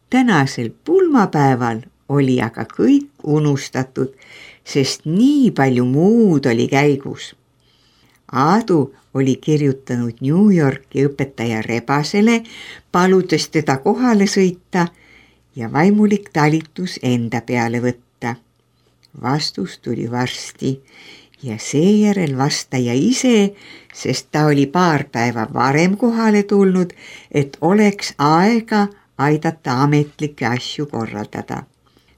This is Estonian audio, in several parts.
Tänasel pulmapäeval oli aga kõik unustatud, sest nii palju muud oli käigus. Aadu oli kirjutanud New Yorki õpetaja Rebasele, paludes teda kohale sõita ja vaimulik talitus enda peale võtta. Vastus tuli varsti ja seejärel vastaja ise, sest ta oli paar päeva varem kohale tulnud, et oleks aega aidata ametlikke asju korraldada.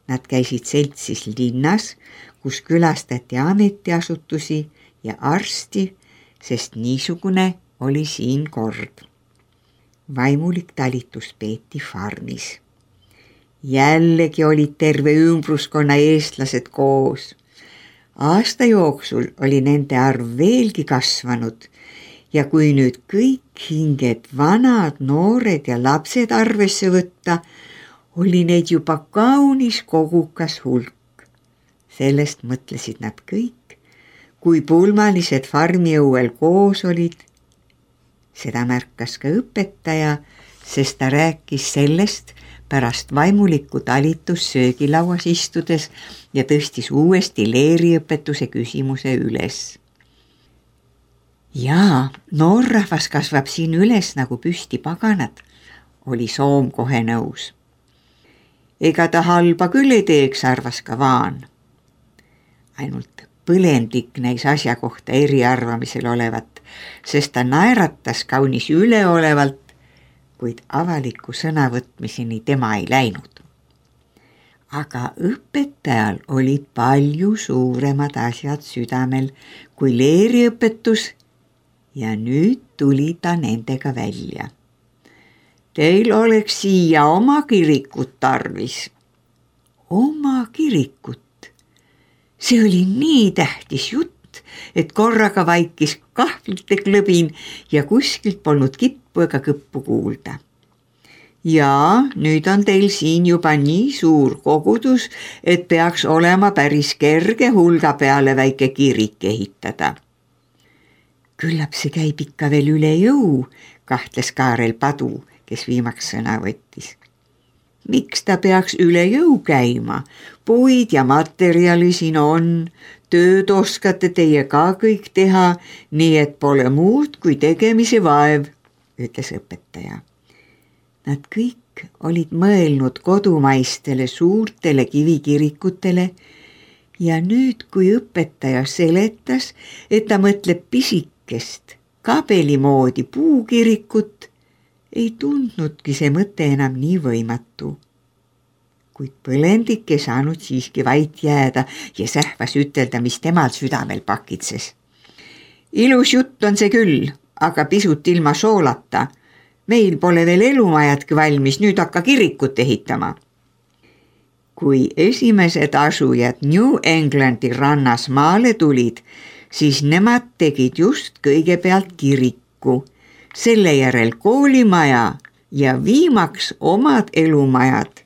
Nad käisid seltsis linnas, kus külastati ametiasutusi ja arsti, sest niisugune oli siin kord. Vaimulik talitus peeti farmis. Jällegi olid terve ümbruskonna eestlased koos. Aasta jooksul oli nende arv veelgi kasvanud ja kui nüüd kõik hinged, vanad, noored ja lapsed arvesse võtta, oli neid juba kaunis kogukas hulk. Sellest mõtlesid nad kõik, kui pulmalised farmiõuel koos olid. Seda märkas ka õpetaja, sest ta rääkis sellest pärast vaimulikku talitus söögilauas istudes ja tõstis uuesti leeriõpetuse küsimuse üles. Jaa, noorrahvas kasvab siin üles nagu püsti paganad, oli Soom kohe nõus. Ega ta halba küll ei teeks, arvas ka Vaan. Ainult põlendik näis asja kohta eriarvamisel olevat, sest ta naeratas kaunis üleolevalt, kuid avaliku sõnavõtmiseni tema ei läinud. Aga õpetajal olid palju suuremad asjad südamel kui leeriõpetus ja nüüd tuli ta nendega välja. Teil oleks siia oma kirikut tarvis. Oma kirikut? See oli nii tähtis jutt, et korraga vaikis kahvlite klõbin ja kuskilt polnud kippu ega kõppu kuulda. Ja nüüd on teil siin juba nii suur kogudus, et peaks olema päris kerge hulga peale väike kirik ehitada. Küllap see käib ikka veel üle jõu, kahtles Kaarel Padu, kes viimaks sõna võttis. Miks ta peaks üle jõu käima? Puid ja materjali siin on, tööd oskate teie ka kõik teha, nii et pole muud kui tegemise vaev, ütles õpetaja. Nad kõik olid mõelnud kodumaistele suurtele kivikirikutele ja nüüd, kui õpetaja seletas, et ta mõtleb pisikest, kabeli moodi puukirikut, ei tundnudki see mõte enam nii võimatu. Kuid põlendik ei saanud siiski vait jääda ja sähvas ütelda, mis temal südamel pakitses. Ilus jutt on see küll, aga pisut ilma soolata. Meil pole veel elumajadki valmis, nüüd hakka kirikut ehitama. Kui esimesed asujad New Englandi rannas maale tulid, siis nemad tegid just kõigepealt kiriku, selle järel koolimaja ja viimaks omad elumajad,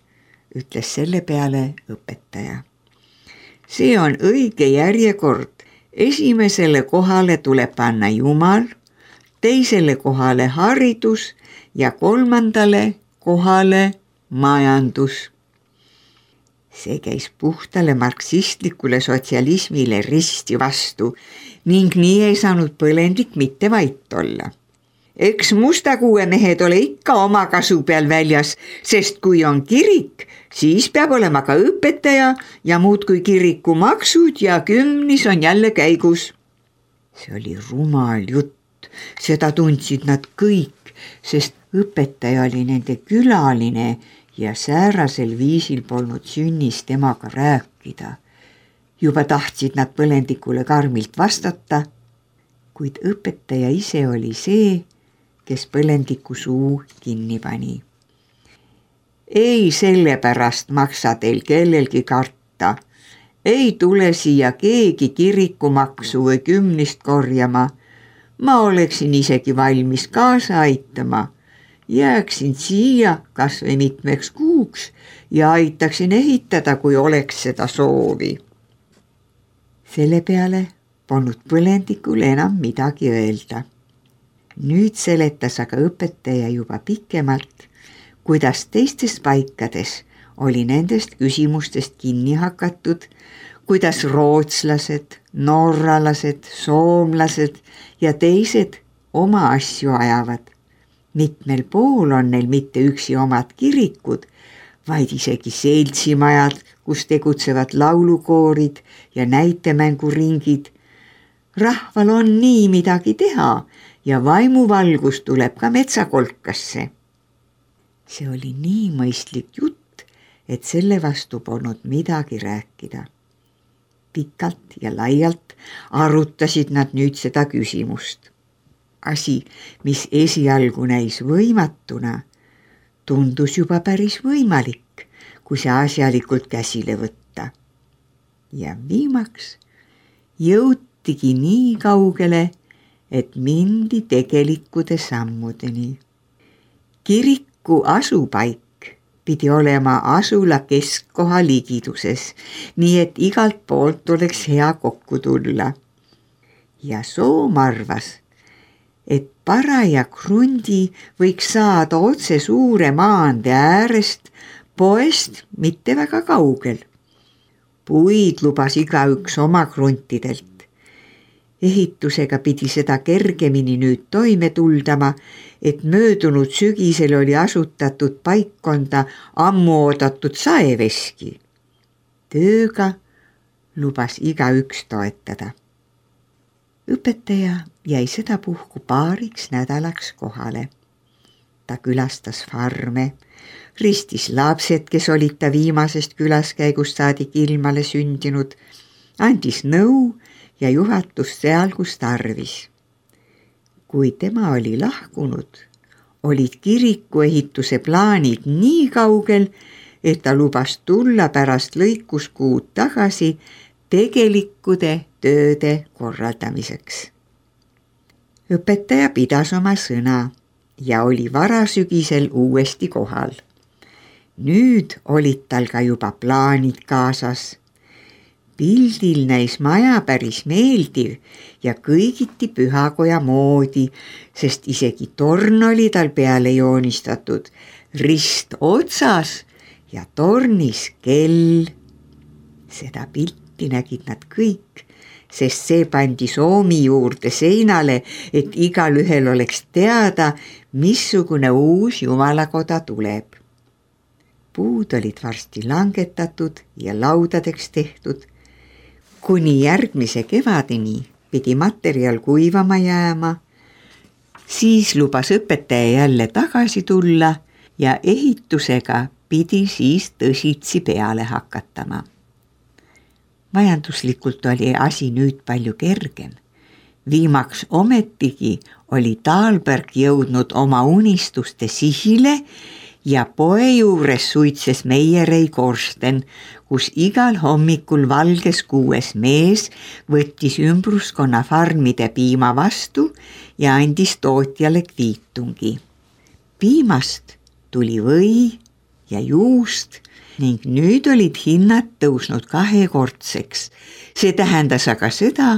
ütles selle peale õpetaja. See on õige järjekord. Esimesele kohale tuleb panna Jumal, teisele kohale haridus ja kolmandale kohale majandus. See käis puhtale marksistlikule sotsialismile risti vastu ning nii ei saanud põlendik mitte vait olla. Eks mustakuue mehed ole ikka oma kasu peal väljas, sest kui on kirik, siis peab olema ka õpetaja ja muud kui kiriku maksud ja kümnis on jälle käigus. See oli rumal jutt, seda tundsid nad kõik, sest õpetaja oli nende külaline ja säärasel viisil polnud sünnis temaga rääkida. Juba tahtsid nad põlendikule karmilt vastata, kuid õpetaja ise oli see, kes põlendiku suu kinni pani. Ei sellepärast maksa teil kellelgi karta. Ei tule siia keegi kirikumaksu või kümnist korjama. Ma oleksin isegi valmis kaasa aitama. Jääksin siia kas või mitmeks kuuks ja aitaksin ehitada, kui oleks seda soovi. Selle peale polnud põlendikul enam midagi öelda. Nüüd seletas aga õpetaja juba pikemalt, kuidas teistes paikades oli nendest küsimustest kinni hakatud, kuidas rootslased, norralased, soomlased ja teised oma asju ajavad. Mitmel pool on neil mitte üksi omad kirikud, vaid isegi seltsimajad, kus tegutsevad laulukoorid ja näitemänguringid. Rahval on nii midagi teha ja vaimuvalgus tuleb ka metsakolkasse. See oli nii mõistlik jutt, et selle vastu polnud midagi rääkida. Pikalt ja laialt arutasid nad nüüd seda küsimust. Asi, mis esialgu näis võimatuna, tundus juba päris võimalik, kui see asjalikult käsile võtta. Ja viimaks jõutigi nii kaugele, et mindi tegelikkude sammudeni. Kiriku asupaik pidi olema asula keskkoha ligiduses, nii et igalt poolt oleks hea kokku tulla. Ja Soom arvas, et paraja krundi võiks saada otse suure maantee äärest, poest mitte väga kaugel. Puid lubas igaüks oma kruntidelt. Ehitusega pidi seda kergemini nüüd toime tuldama, et möödunud sügisel oli asutatud paikkonda ammu oodatud saeveski. Tööga lubas igaüks toetada. Õpetaja jäi sedapuhku paariks nädalaks kohale. Ta külastas farme, ristis lapsed, kes olid ta viimasest külaskäigust saadik ilmale sündinud, andis nõu ja juhatust seal, kus tarvis. Kui tema oli lahkunud, olid kirikuehituse plaanid nii kaugel, et ta lubas tulla pärast lõikuskuud tagasi tegelikkude tööde korraldamiseks. Õpetaja pidas oma sõna ja oli varasügisel uuesti kohal. Nüüd olid tal ka juba plaanid kaasas. Pildil näis maja päris meeldiv ja kõigiti pühakoja moodi, sest isegi torn oli tal peale joonistatud, rist otsas ja tornis kell. Seda pilti nägid nad kõik, sest see pandi Soomi juurde seinale, et igal ühel oleks teada, missugune uus jumalakoda tuleb. Puud olid varsti langetatud ja laudadeks tehtud. Kuni järgmise kevadeni pidi materjal kuivama jääma, siis lubas õpetaja jälle tagasi tulla ja ehitusega pidi siis tõsitsi peale hakatama. Majanduslikult oli asi nüüd palju kergem. Viimaks ometigi oli Taalberg jõudnud oma unistuste sihile ja poe juures suitses Meierei korsten, kus igal hommikul valges 6 mees võttis ümbruskonna farmide piima vastu ja andis tootjale kviitungi. Piimast tuli või ja juust ning nüüd olid hinnad tõusnud 2-kordseks. See tähendas aga seda,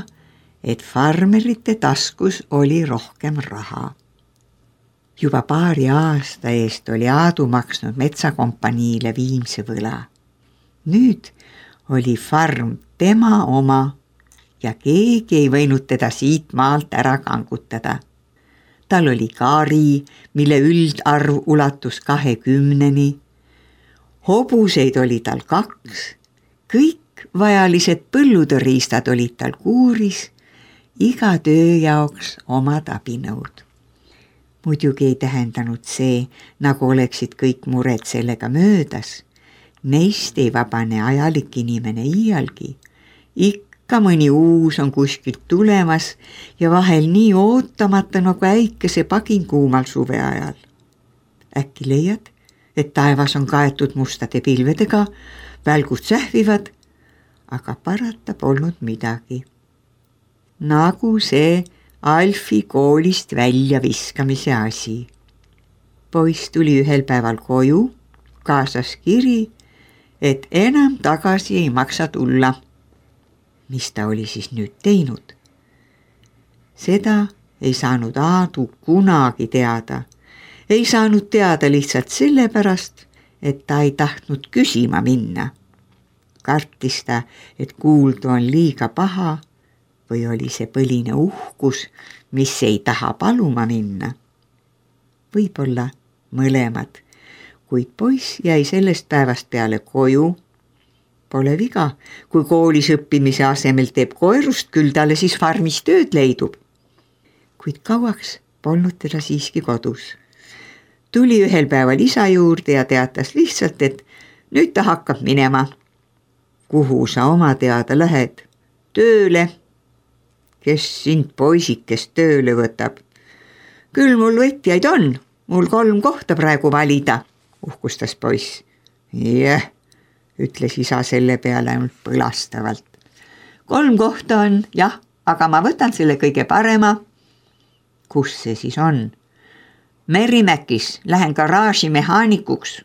et farmerite taskus oli rohkem raha. Juba paari aasta eest oli Aadu maksnud metsakompaniile viimse võla. Nüüd oli farm tema oma ja keegi ei võinud teda siit maalt ära kangutada. Tal oli kari, mille üldarv ulatus 20-ni. Hobuseid oli tal 2, kõik vajalised põllutõriistad olid tal kuuris, iga töö jaoks omad abinõud. Muidugi ei tähendanud see, nagu oleksid kõik mured sellega möödas. Neist ei vabane ajalik inimene iialgi. Ikka mõni uus on kuskilt tulemas ja vahel nii ootamata nagu äikese pagin kuumal suve ajal. Äkki leiad, et taevas on kaetud mustade pilvedega, välgud sähvivad, aga parata polnud midagi. Nagu see Alfi koolist välja viskamise asi. Poiss tuli ühel päeval koju, kaasas kiri, et enam tagasi ei maksa tulla. Mis ta oli siis nüüd teinud? Seda ei saanud Aadu kunagi teada, Ei saanud teada lihtsalt sellepärast, et ta ei tahtnud küsima minna. Kartis ta, et kuuldu on liiga paha või oli see põline uhkus, mis ei taha paluma minna. Võib-olla mõlemad, kuid poiss jäi sellest päevast peale koju. Pole viga, kui koolis õppimise asemel teeb koerust, küll talle siis farmis tööd leidub. Kuid kauaks polnud teda siiski kodus. Tuli ühel päeval isa juurde ja teatas lihtsalt, et nüüd ta hakkab minema. Kuhu sa oma teada lähed? Tööle. Kes sind poisikest tööle võtab? Küll mul võtjaid on, mul 3 kohta praegu valida, uhkustas poiss. Jah, ütles isa selle peale ainult põlastavalt. 3 kohta on, jah, aga ma võtan selle kõige parema. Kus see siis on? Merimäkis, lähen garaaži mehaanikuks.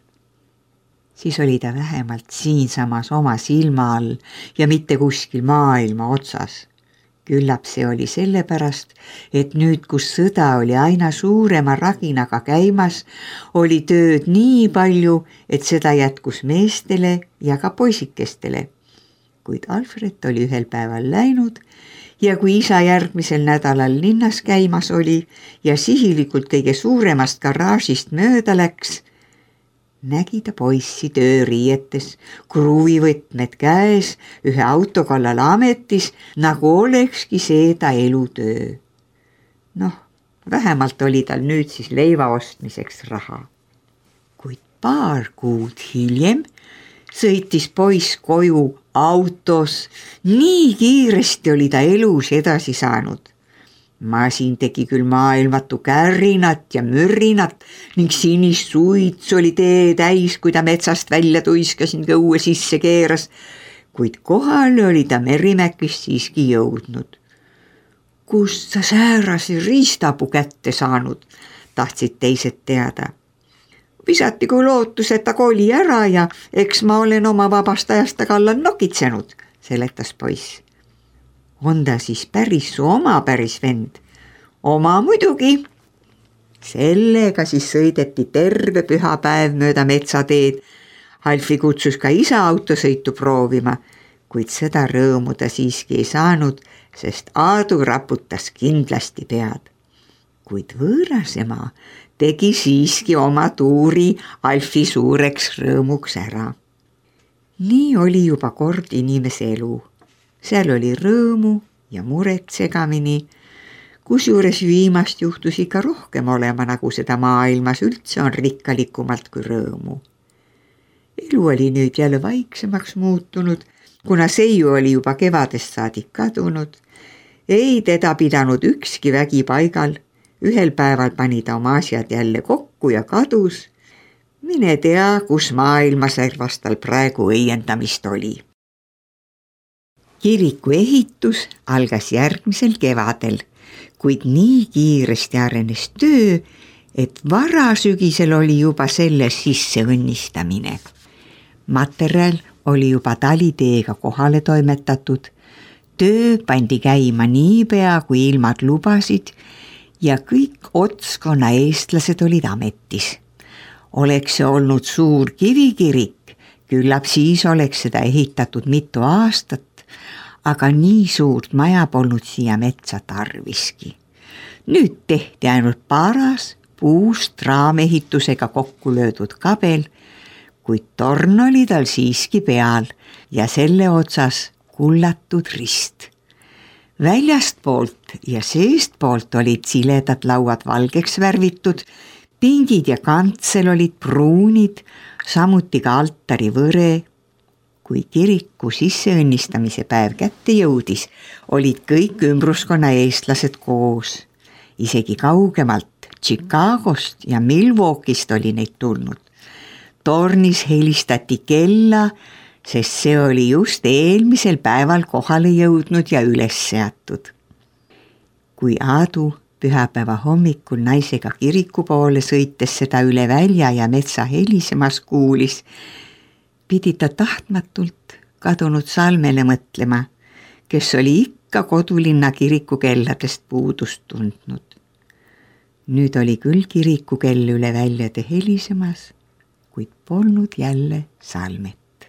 Siis oli ta vähemalt siinsamas oma silma all ja mitte kuskil maailma otsas. Küllap see oli sellepärast, et nüüd, kus sõda oli aina suurema raginaga käimas, oli tööd nii palju, et seda jätkus meestele ja ka poisikestele. Kuid Alfred oli ühel päeval läinud ja kui isa järgmisel nädalal linnas käimas oli ja sihilikult kõige suuremast garaažist mööda läks, nägi ta poissi tööriietes, kruvivõtmed käes, ühe auto kallal ametis, nagu olekski see ta elutöö. Noh, vähemalt oli tal nüüd siis leiva ostmiseks raha. Kuid paar kuud hiljem sõitis poiss koju autos, nii kiiresti oli ta elus edasi saanud. Masin tegi küll maailmatu kärinat ja mürrinat ning sinist suitsu oli tee täis, kui ta metsast välja tuiskas ning õue sisse keeras, kuid kohale oli ta Merimäkist siiski jõudnud. Kust sa säärase riistapuu kätte saanud, tahtsid teised teada. Visati kui lootus, et ta koli ära ja eks ma olen oma vabast ajast ta kallal nokitsenud, seletas poiss. On ta siis päris su oma päris vend? Oma muidugi. Sellega siis sõideti terve pühapäev mööda metsateed. Alfi kutsus ka isa autosõitu proovima, kuid seda rõõmu ta siiski ei saanud, sest Aadu raputas kindlasti pead. Kuid võõrasema tegi siiski oma tuuri Alfi suureks rõõmuks ära. Nii oli juba kord inimese elu. Seal oli rõõmu ja muret segamini, kusjuures viimast juhtus ikka rohkem olema, nagu seda maailmas üldse on rikkalikumalt kui rõõmu. Elu oli nüüd jälle vaiksemaks muutunud, kuna seiu oli juba kevadest saadik kadunud. Ei teda pidanud ükski vägi paigal, ühel päeval pani ta oma asjad jälle kokku ja kadus. Mine tea, kus maailmaservas tal praegu õiendamist oli. Kiriku ehitus algas järgmisel kevadel, kuid nii kiiresti arenes töö, et varasügisel oli juba selle sisse õnnistamine. Materjal oli juba taliteega kohale toimetatud, töö pandi käima niipea, kui ilmad lubasid ja kõik Otskonna eestlased olid ametis. Oleks see olnud suur kivikirik, küllap siis oleks seda ehitatud mitu aastat, aga nii suurt maja polnud siia metsa tarviski. Nüüd tehti ainult paras puust raamehitusega kokku löödud kabel, kuid torn oli tal siiski peal ja selle otsas kullatud rist. Väljastpoolt ja seestpoolt olid siledad lauad valgeks värvitud, pingid ja kantsel olid pruunid, samuti ka altari võre. Kui kiriku sisseõnnistamise päev kätte jõudis, olid kõik ümbruskonna eestlased koos. Isegi kaugemalt Chicagost ja Milwaukee'st oli neid tulnud. Tornis helistati kella, sest see oli just eelmisel päeval kohale jõudnud ja üles seatud. Kui Aadu pühapäeva hommikul naisega kiriku poole sõites seda üle välja ja metsa helisemas kuulis, pidi ta tahtmatult kadunud Salmele mõtlema, kes oli ikka kodulinna kiriku kelladest puudust tundnud. Nüüd oli küll kirikukell üle väljade helisemas, kuid polnud jälle Salmet.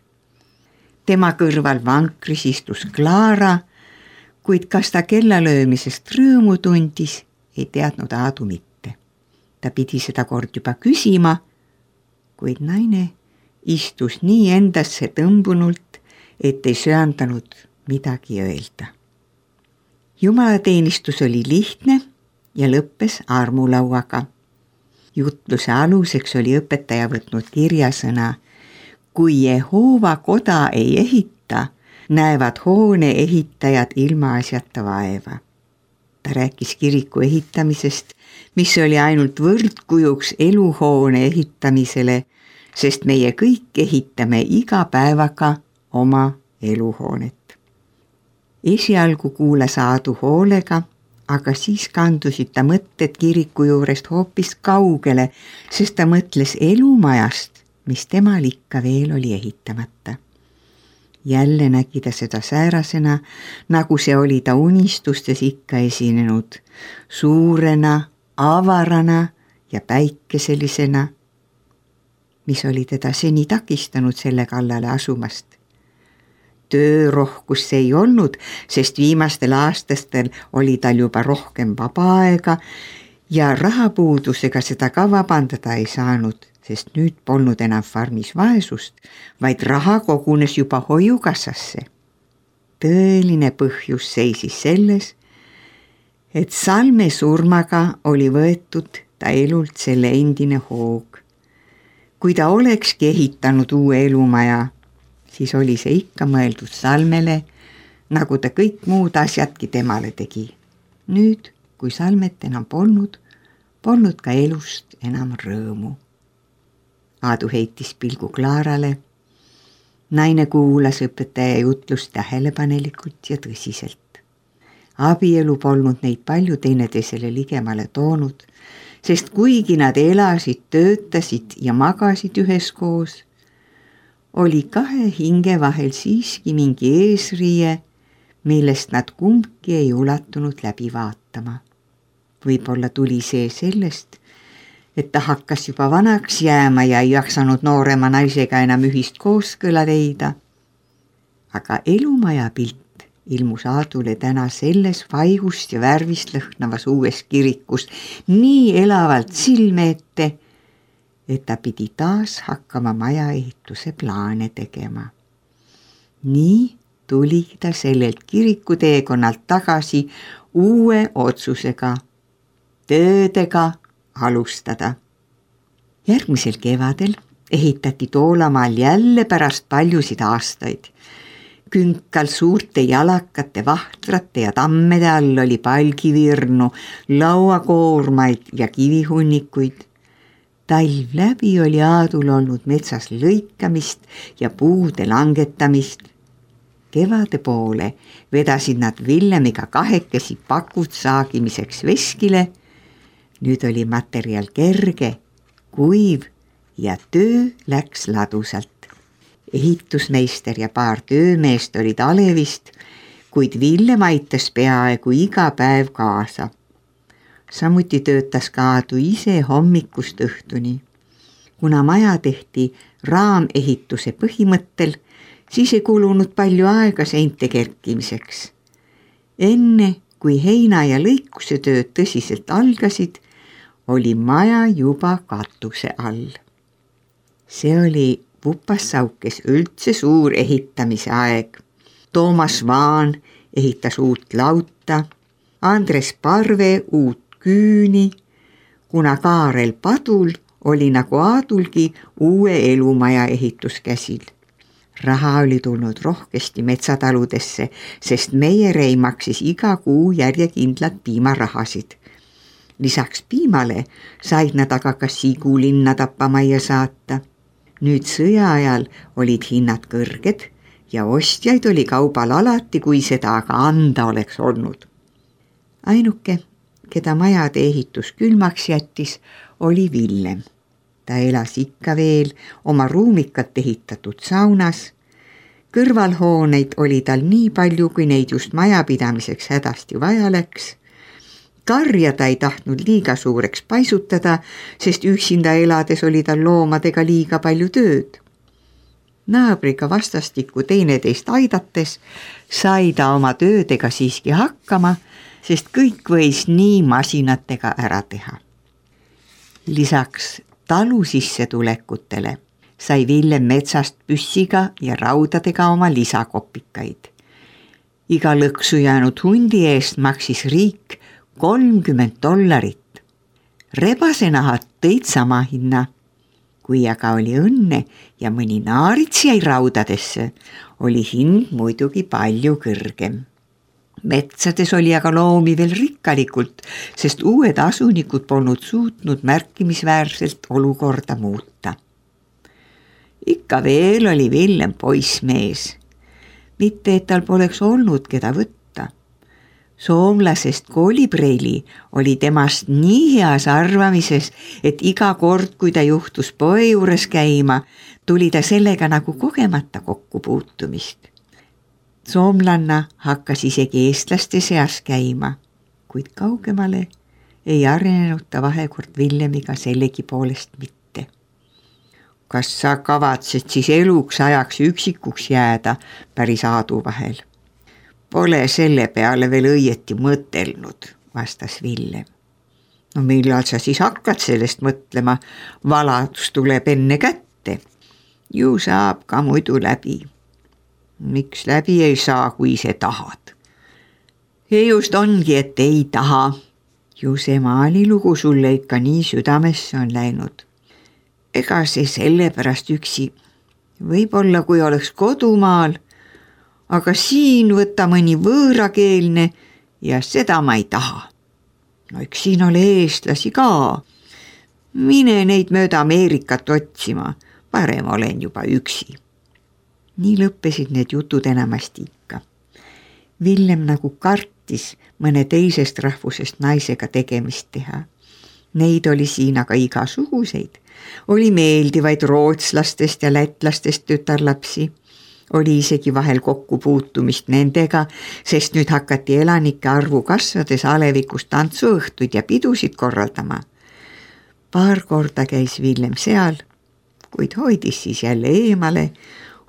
Tema kõrval vankris istus Klaara, kuid kas ta kellalöömisest rõõmu tundis, ei teadnud Aadu mitte. Ta pidi seda kord juba küsima, kuid naine istus nii endasse tõmbunult, et ei söandanud midagi öelda. Jumalateenistus oli lihtne ja lõppes armulauaga. Jutluse aluseks oli õpetaja võtnud kirjasõna: kui Jehoova koda ei ehita, näevad hoone ehitajad ilmaasjata vaeva. Ta rääkis kiriku ehitamisest, mis oli ainult võrdkujuks eluhoone ehitamisele, sest meie kõik ehitame iga päevaga oma eluhoonet. Esialgu kuulas Aadu hoolega, aga siis kandusid ta mõtted kiriku juurest hoopis kaugele, sest ta mõtles elumajast, mis temal ikka veel oli ehitamata. Jälle nägi ta seda säärasena, nagu see oli ta unistustes ikka esinenud, suurena, avarana ja päikeselisena, mis oli teda seni takistanud selle kallale asumast. Töörohkus see ei olnud, sest viimastel aastastel oli tal juba rohkem vaba aega ja rahapuudusega seda ka vabandada ei saanud, sest nüüd polnud enam farmis vaesust, vaid raha kogunes juba hoiukassasse. Tõeline põhjus seisis selles, et Salme surmaga oli võetud ta elult selle endine hoog. Kui ta olekski ehitanud uue elumaja, siis oli see ikka mõeldud Salmele, nagu ta kõik muud asjadki temale tegi. Nüüd, kui Salmet enam polnud ka elust enam rõõmu. Aadu heitis pilgu Klaarale. Naine kuulas õpetaja jutlust tähelepanelikult ja tõsiselt. Abielu polnud neid palju teineteisele ligemale toonud, sest kuigi nad elasid, töötasid ja magasid üheskoos, oli kahe hinge vahel siiski mingi eesriie, millest nad kumbki ei ulatunud läbi vaatama. Võib-olla tuli see sellest, et ta hakkas juba vanaks jääma ja ei jaksanud noorema naisega enam ühist kooskõla leida. Aga elumaja pilt ilmus Aadule täna selles vaigust ja värvist lõhnavas uues kirikus nii elavalt silme ette, et ta pidi taas hakkama majaehituse plaane tegema. Nii tuli ta sellelt kirikuteekonnalt tagasi uue otsusega, töödega alustada. Järgmisel kevadel ehitati Toolamaal jälle pärast paljusid aastaid. Künkal suurte jalakate, vahtrate ja tammede all oli palgivirnu, lauakoormaid ja kivihunnikuid. Talv läbi oli Aadul olnud metsas lõikamist ja puude langetamist. Kevade poole vedasid nad Villemiga kahekesi pakud saagimiseks veskile. Nüüd oli materjal kerge, kuiv ja töö läks ladusalt. Ehitusmeister ja paar töömeest olid Alevist, kuid Villem aitas peaaegu iga päev kaasa. Samuti töötas ka Aadu ise hommikust õhtuni. Kuna maja tehti raamehituse põhimõttel, siis ei kulunud palju aega seinte kerkimiseks. Enne, kui heina ja lõikuse tööd tõsiselt algasid, oli maja juba katuse all. See oli Vupassaukes üldse suur ehitamise aeg. Toomas Vaan ehitas uut lauta, Andres Parve uut küüni, kuna Kaarel Padul oli nagu Aadulgi uue elumaja ehituskäsil. Raha oli tulnud rohkesti metsataludesse, sest Meierei maksis iga kuu järjekindlad piimarahasid. Lisaks piimale said nad aga ka Sigulinna tappamajja saata. Nüüd sõja ajal olid hinnad kõrged ja ostjaid oli kaubal alati, kui seda aga anda oleks olnud. Ainuke, keda majade ehitus külmaks jättis, oli Villem. Ta elas ikka veel oma ruumikat ehitatud saunas. Kõrvalhooneid oli tal nii palju, kui neid just majapidamiseks hädasti vaja läks. karja ta ei tahtnud liiga suureks paisutada, sest üksinda elades oli tal loomadega liiga palju tööd. Naabriga vastastikku teineteist aidates sai ta oma töödega siiski hakkama, sest kõik võis nii masinatega ära teha. Lisaks talu sissetulekutele sai Villem metsast püssiga ja raudadega oma lisakopikaid. Iga lõksu jäänud hundi eest maksis riik $30. Rebasenahad tõid sama hinna. Kui aga oli õnne ja mõni naarits jäi raudadesse, oli hind muidugi palju kõrgem. Metsades oli aga loomi veel rikkalikult, sest uued asunikud polnud suutnud märkimisväärselt olukorda muuta. Ikka veel oli Villem poissmees. Mitte, et tal poleks olnud keda võtta. Soomlasest Koolipreili oli temast nii heas arvamises, et iga kord, kui ta juhtus poe juures käima, tuli ta sellega nagu kogemata kokkupuutumist. Soomlanna hakkas isegi eestlaste seas käima, kuid kaugemale ei arenenud ta vahekord Villemiga sellegi poolest mitte. Kas sa kavatsed siis eluks ajaks üksikuks jääda päris Aadu vahel? Pole selle peale veel õieti mõtelnud, vastas Villem. No millal sa siis hakkad sellest mõtlema? Valadus tuleb enne kätte. Ju saab ka muidu läbi. Miks läbi ei saa, kui ise tahad? Ja just ongi, et ei taha. Ju see maalilugu sulle ikka nii südamesse on läinud. Ega see sellepärast üksi. Võib-olla kui oleks kodumaal, aga siin võtta mõni võõrakeelne ja seda ma ei taha. No eks siin ole eestlasi ka. Mine neid mööda Ameerikat otsima, parem olen juba üksi. Nii lõppesid need jutud enamasti ikka. Villem nagu kartis mõne teisest rahvusest naisega tegemist teha. Neid oli siin aga igasuguseid. Oli meeldivaid rootslastest ja lätlastest tütarlapsi. Oli isegi vahel kokkupuutumist nendega, sest nüüd hakati elanike arvu kasvades alevikus tantsuõhtuid ja pidusid korraldama. Paar korda käis Villem seal, kuid hoidis siis jälle eemale,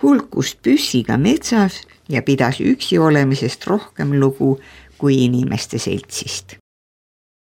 hulkus püssiga metsas ja pidas üksi olemisest rohkem lugu kui inimeste seltsist.